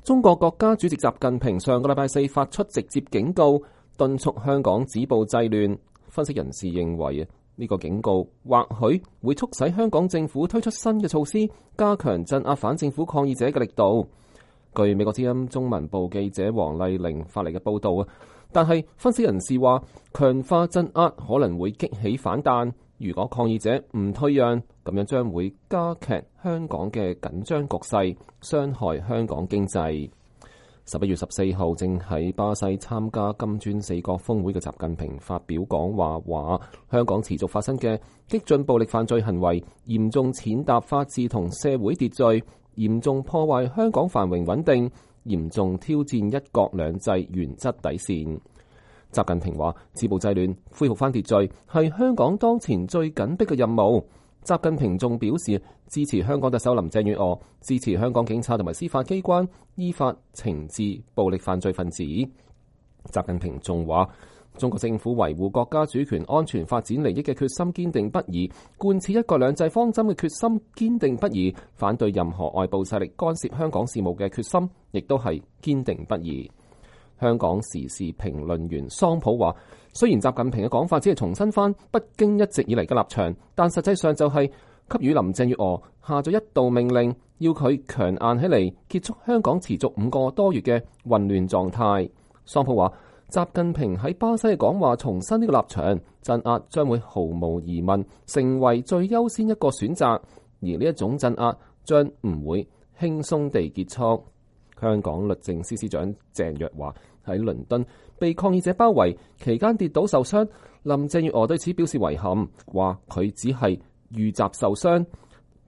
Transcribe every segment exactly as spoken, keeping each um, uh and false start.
中國國家主席習近平上個禮拜四發出直接警告，敦促香港止暴制亂。分析人士認為，呢個警告或許會促使香港政府推出新嘅措施，加強鎮壓反政府抗議者嘅力度。據美國之音中文部記者黃麗玲發嚟嘅報道啊，但係分析人士話，強化鎮壓可能會激起反彈。如果抗議者唔退讓，咁樣將會加劇香港嘅緊張局勢，傷害香港經濟。十一月十四號，正喺巴西參加金磚四國峰會嘅習近平發表講話，話香港持續發生嘅激進暴力犯罪行為，嚴重踐踏法治同社會秩序，嚴重破壞香港繁榮穩定，嚴重挑戰一國兩制原則底線。習近平話：止暴制亂、恢復翻秩序係香港當前最緊迫嘅任務。習近平仲表示支持香港特首林鄭月娥，支持香港警察同埋司法機關依法懲治暴力犯罪分子。習近平仲話：中國政府維護國家主權、安全、發展利益嘅決心堅定不移，貫徹一國兩制方針嘅決心堅定不移，反對任何外部勢力干涉香港事務嘅決心亦都係堅定不移。香港時事評論員桑普話：雖然習近平嘅講法只係重申翻北京一直以嚟嘅立場，但實際上就係給予林鄭月娥下咗一道命令，要佢強硬起嚟，結束香港持續五個多月嘅混亂狀態。桑普話：習近平喺巴西嘅講話重申呢個立場，鎮壓將會毫無疑問成為最優先一個選擇，而呢一種鎮壓將唔會輕鬆地結束。香港律政司司長鄭若驊喺倫敦被抗議者包圍期間跌倒受傷，林鄭月娥對此表示遺憾，話佢只係遇襲受傷。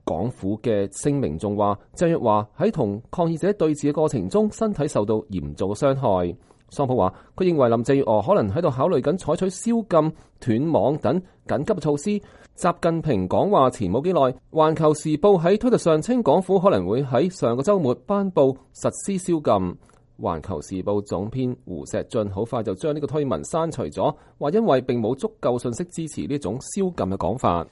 港府嘅聲明仲話，鄭若驊喺同抗議者對峙嘅過程中，身體受到嚴重嘅傷害。桑普話，佢認為林鄭月娥可能喺度考慮緊採取宵禁、斷網等緊急措施。習近平講話前冇幾耐，《環球時報》喺推特上稱港府可能會喺上個週末頒布實施宵禁。《環球時報》總編胡錫進好快就將呢個推文刪除咗，話因為並冇足夠信息支持呢種宵禁嘅講法。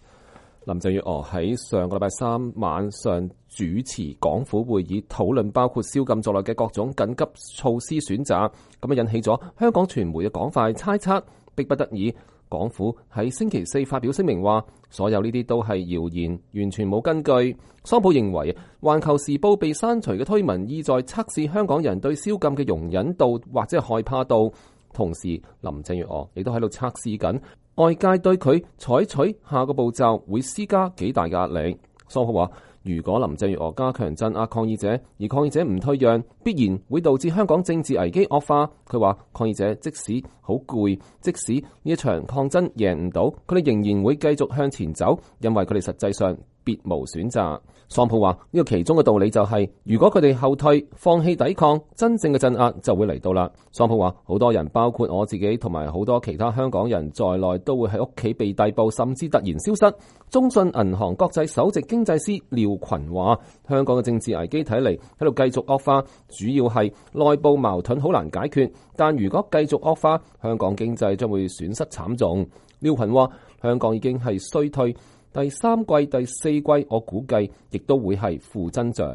林鄭月娥喺上個禮拜三晚上主持港府會議，討論包括宵禁在內嘅各種緊急措施選擇，咁啊引起咗香港傳媒嘅廣泛猜測，迫不得已，港府喺星期四發表聲明話，所有呢啲都係謠言，完全冇根據。桑普認為，《環球時報》被刪除嘅推文意在測試香港人對宵禁嘅容忍度或者係害怕度，同時林鄭月娥亦都喺度測試緊外界對佢採取下個步驟會施加幾大壓力。桑普話，如果林鄭月娥加強鎮壓抗議者，而抗議者唔退讓，必然會導致香港政治危機惡化。佢話抗議者即使好攰，即使呢一場抗爭贏唔到，佢哋仍然會繼續向前走，因為佢哋實際上別無選擇。桑普話呢個其中嘅道理就係、是，如果佢哋後退、放棄抵抗，真正嘅鎮壓就會嚟到啦。桑普話好多人，包括我自己同埋好多其他香港人在內，都會喺屋企被逮捕，甚至突然消失。中信銀行國際首席經濟師廖群話，香港嘅政治危機睇嚟喺度繼續惡化，主要係內部矛盾好難解決，但如果繼續惡化，香港經濟將會損失慘重。廖群話，香港已經係衰退。第三季、第四季，我估計亦都會係負增長。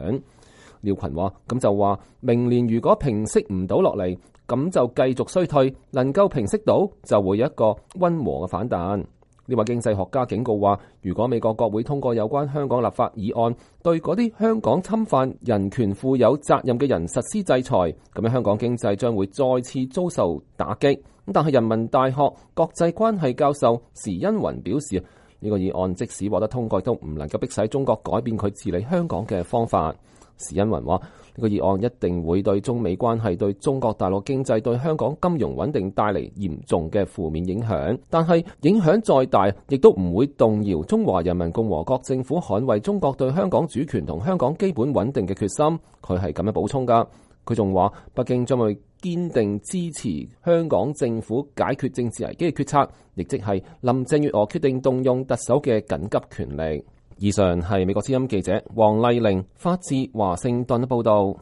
廖群話：咁就話明年如果平息唔到落嚟，咁就繼續衰退；能夠平息到，就會有一個溫和嘅反彈。呢位經濟學家警告話：如果美國國會通過有關香港立法議案，對嗰啲香港侵犯人權負有責任嘅人實施制裁，咁樣香港經濟將會再次遭受打擊。但係人民大學國際關係教授時殷雲表示，呢個議案即使獲得通過，都唔能夠迫使中國改變佢治理香港嘅方法。時殷雲話：呢個議案一定會對中美關係、對中國大陸經濟、對香港金融穩定帶嚟嚴重嘅負面影響。但係影響再大，亦都唔會動搖中華人民共和國政府捍衛中國對香港主權同香港基本穩定嘅決心。佢係咁樣補充㗎。佢仲話，北京將會堅定支持香港政府解決政治危機嘅決策，亦即係林鄭月娥決定動用特首嘅緊急權力。以上係美國之音記者黃麗玲發自華盛頓嘅報道。